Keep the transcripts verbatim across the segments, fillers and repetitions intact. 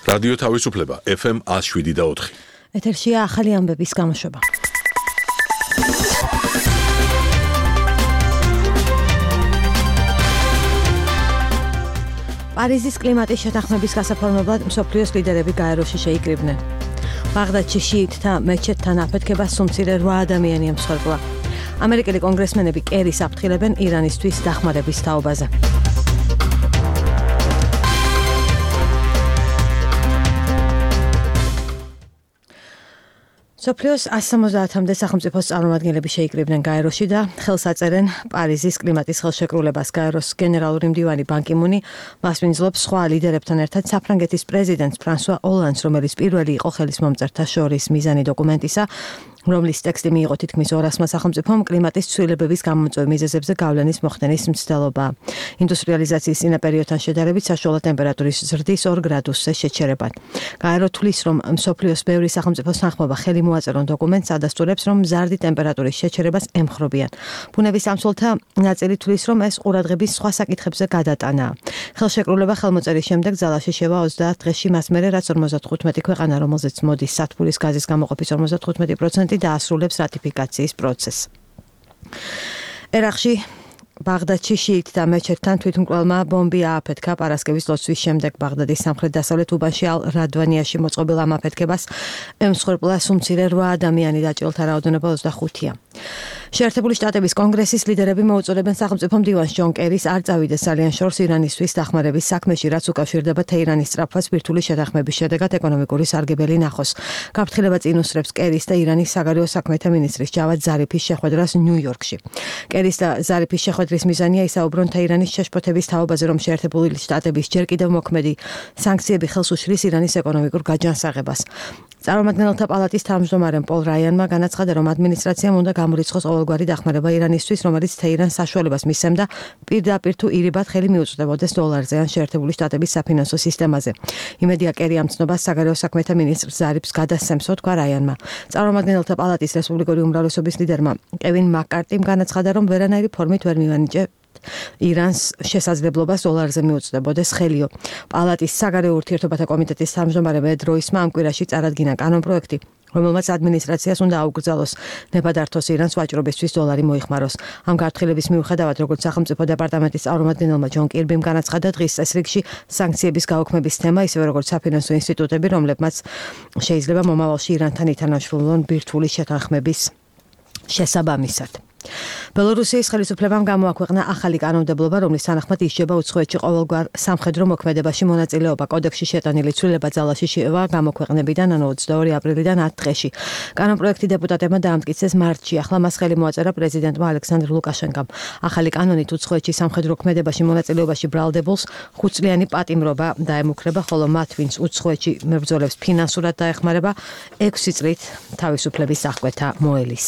რადიო თავისუფლება ეფ ემ one oh seven და four. ეთერშია ახალი ამბების გამოშვება. პარიზის კლიმატის შეთანხმების გასაფორმებლად მსოფლიოს ლიდერები გაეროში შეიკრიბნენ. ბაღდადში შიიტთა მეჩეთთან აფეთქებას სუმცირე რვა ადამიანი ემსხვერპლა. ამერიკელი კონგრესმენები კერის აფრთხილებენ ირანისთვის დახმარების თაობაზე. სოფლიოს one seventy-მდე სახელმწიფოს წარმომადგენლები შეიკრიბნენ გაეროში და ხელს აწერენ პარიზის კლიმატის ხელშეკრულებას. გაეროს გენერალური მდივანი ბან კი მუნი მასპინძლობს სხვა ლიდერებთან ერთად საფრანგეთის პრეზიდენტს ფრანსუა ოლანდს, რომელიც პირველი იყო ხელისმომწერთა შორის მიზანი დოკუმენტისა, რომლის ტექსტი მიიღო თითქმის ორასმა სახელმწიფომ კლიმატის ცვლილებების გამომწვევ მიზეზებზე გავლენის მოხდენის მცდელობა. ინდუსტრიალიზაციის წინა პერიოდთან შედარებით საშუალო ტემპერატურის ზრდის ორ გრადუსზე შეჩერებად. გაერო თვლის, რომ მსოფლიოს ბევრი სახელმწიფოს თანხმობა ხელი მოაწერონ დოკუმენტს, ადასტურებს, რომ მზარდი ტემპერატურის შეჩერებას ემხრობიან. ბუნების სამსვლელთა ნაწილი თვლის, რომ ეს ყურადღების სხვა საკითხებზე გადატანაა. ხელშეკრულება ხელმოწერის შემდეგ ძალაში შევა ოცდაათ დღეში მას მერე, რაც ორმოცდახუთმეტი ქვეყანა, რომელზეც მოდის სათბურის გაზის გამოყოფის ორმოცდახუთმეტი პროცენტი დაასრულებს რატიფიკაციის პროცესს. ერაყში ბაღდადში შიიტთა მეჩეთთან თვითმკვლელმა ბომბი ააფეთქა პარასკევის ლოცვის შემდეგ. ბაღდადის სამხრეთ-დასავლეთ უბანში ალ-რადვანიაში მოწყობილ ამ აფეთქებას ემსხვერპლა სუმცირე რვა ადამიანი, დაჭრილთა რაოდენობა ოცდახუთია. შეერთებული შტატების კონგრესის ლიდერები მოუწოდებენ სახელმწიფო მდივანს ჯონ კერის არ წავიდეს ძალიან შორს ირანისთვის დახმარების საქმეში, რაც უკავშირდება თეირანის სწრაფად ბირთვული შეთანხმების შედეგად ეკონომიკური სარგებელი ნახოს. გაფრთხილება წინ უსწრებს კერის და ირანის საგარეო საქმეთა მინისტრის ჯავად ზარიფის შეხვედრას ნიუ-იორკში. კერის და ზარიფის შეხვედრის მიზანია ისაუბრონ თეირანის შეშფოთების თაობაზე, რომ შეერთებული შტატების ჯერ კიდევ მოქმედი სანქციები ხელს უშლის ირანის ეკონომიკურ გაჯანსაღებას. წარმომადგენელთა პალატის თავმჯდომარემ პოლ რაიანმა განაცხადა, რომ ადმინისტრაციამ უნდა გამორიცხოს ყოველგვარი დახმარება ირანისთვის, რომელიც თეირანს საშუალებას მისცემდა პირდაპირ თუ ირიბად ხელი მიუწვდებოდეს დოლარზე ან შეერთებული შტატების საფინანსო სისტემაზე. იმედია კერი ამ ცნობას საგარეო საქმეთა მინისტრ ზარიფს გადასცემსო, თქვა რაიანმა. წარმომადგენელთა პალატის რესპუბლიკური უმრავლესობის ლიდერმა კევინ მაკ-კარტიმ განაცხადა, რომ ვერანაირი ფორმით ვერ მივანიჭე ირანს შესაძლებლობას დოლარზე მიუწვდებოდეს ხელიო. პალატის საგარეო ურთიერთობათა კომიტეტის თავმჯდომარემ ედ როისმა ამ კვირაში წარადგინა კანონპროექტი, რომელმაც ადმინისტრაციას უნდა აუკრძალოს ნებადართოს ირანს ვაჭრობისთვის დოლარი მოიხმაროს. ამ გაფრთხილების მიუხედავად, როგორც სახელმწიფო დეპარტამენტის წარმომადგენელმა ჯონ კირბიმ განაცხადა, დღის წესრიგში სანქციების გაუქმების თემა, ისევე როგორც საფინანსო ინსტიტუტები, რომლებმაც შეიძლება მომავალში ირანთან ითანაშრულონ ბირთვული შეთანხმების შესაბამისად. ბელორუსიის ხელისუფლებამ გამოაქვეყნა ახალი კანონმდებლობა, რომლის თანახმად ისჯება უცხოეთში ყოველგვარ სამხედრო მოქმედებაში მონაწილეობა. კოდექსში შეტანილი ცვლილება ძალაში შევა გამოქვეყნებიდან, ანუ ოცდაორი აპრილიდან ათ დღეში. კანონპროექტი დეპუტატებმა დაამტკიცეს მარტში. ახლა მას ხელი მოაწერა პრეზიდენტმა ალექსანდრ ლუკაშენკამ. ახალი კანონით უცხოეთში სამხედრო მოქმედებაში მონაწილეობაში ბრალდებულს ხუთწლიანი პატიმრობა დაემუქრება, ხოლო მათ, ვინც უცხოეთში მებრძოლებს ფინანსურად დაეხმარება, ექვსი წლით თავისუფლების აღკვეთა მოელის.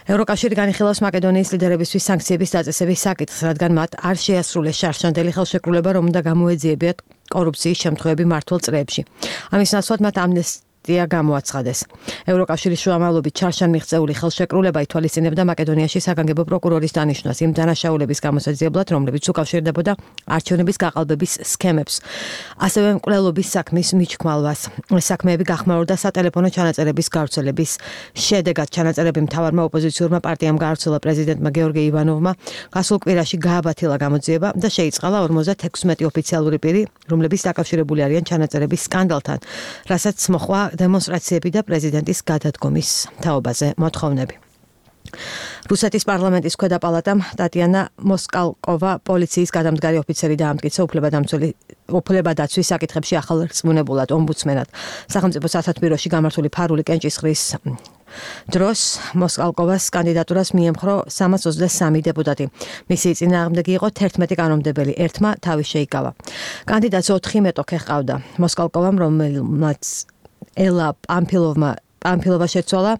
ევროკავშირი განიხილავს მაკედონიის ლიდერებისთვის სანქციების დაწესების საკითხს, რადგან მათ არ შეასრულეს შარშანდელი ხელშეკრულება, რომ უნდა გამოეძიებიათ კორუფციის შემთხვევები მართულ წრეებში. ამის ნაცვლად მათ ამნესტია გამოაცხადეს. ევროკავშირის შუამავლობით ჩარშან მიღწეული ხელშეკრულება ითვალისწინებდა მაკედონიაში საგანგებო პროკურორის დანიშვნას იმ დანაშაულების გამოსაძიებლად, რომლებიც უკავშირდებოდა არჩევნების გაყალბების სქემებს, ასევე მკვლელობის საქმის მიჩქმალვას. ეს საქმეები გახმაურდა სატელეფონო ჩანაწერების გავრცელების შედეგად. ჩანაწერები მთავარმა ოპოზიციურმა პარტიამ გაავრცელა პრეზიდენტმა გეორგი ივანოვმა, გასულ კვირაში გააბათილა გამოძიება და შეიწყალა ორმოცდათექვსმეტი ოფიციალური პირი, რომლებიც დაკავშირებული არიან ჩანაწერების სკანდალთან, რასაც მოხვა დემონსტრაციები და პრეზიდენტის გადადგომის თაობაზე მოთხოვნები. რუსეთის პარლამენტის ქვედა პალატამ ტატიანა მოსკალკოვა პოლიციის გადამდგარი ოფიცერი დაამტკიცა უფლებადაცვის საკითხებში ახალ რწმუნებულად ომბუდსმენად. სახელმწიფო სათათბიროში გამართული ფარული კენჭისყრის დროს მოსკალკოვას კანდიდატურას მიემხრო სამას ოცდასამი დეპუტატი. მისი წინააღმდეგი იყო თერთმეტი კანონმდებელი, ერთმა თავი შეიკავა. კანდიდატს ოთხი მეტოქე ჰყავდა. მოსკალკოვამ, რომელმაც ელა პამფილოვმა პამფილოვა შეცვალა,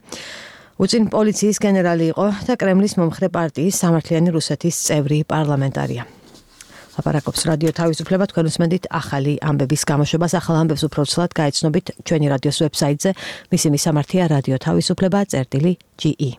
უწინ პოლიციის გენერალი იყო და კრემლის მომხრე პარტიის სამართლიანი რუსეთის წევრი პარლამენტარია. ლაპარაკობს რადიო თავისუფლება, თქვენ უსმენთ ახალი ამბების გამოშვებას. ახალ ამბებს უფრო ცვლად გაეცნობით ჩვენი რადიოს ვებსაიტზე. მისი მისამართია რადიო თავისუფლება წერტილი ჯი ი.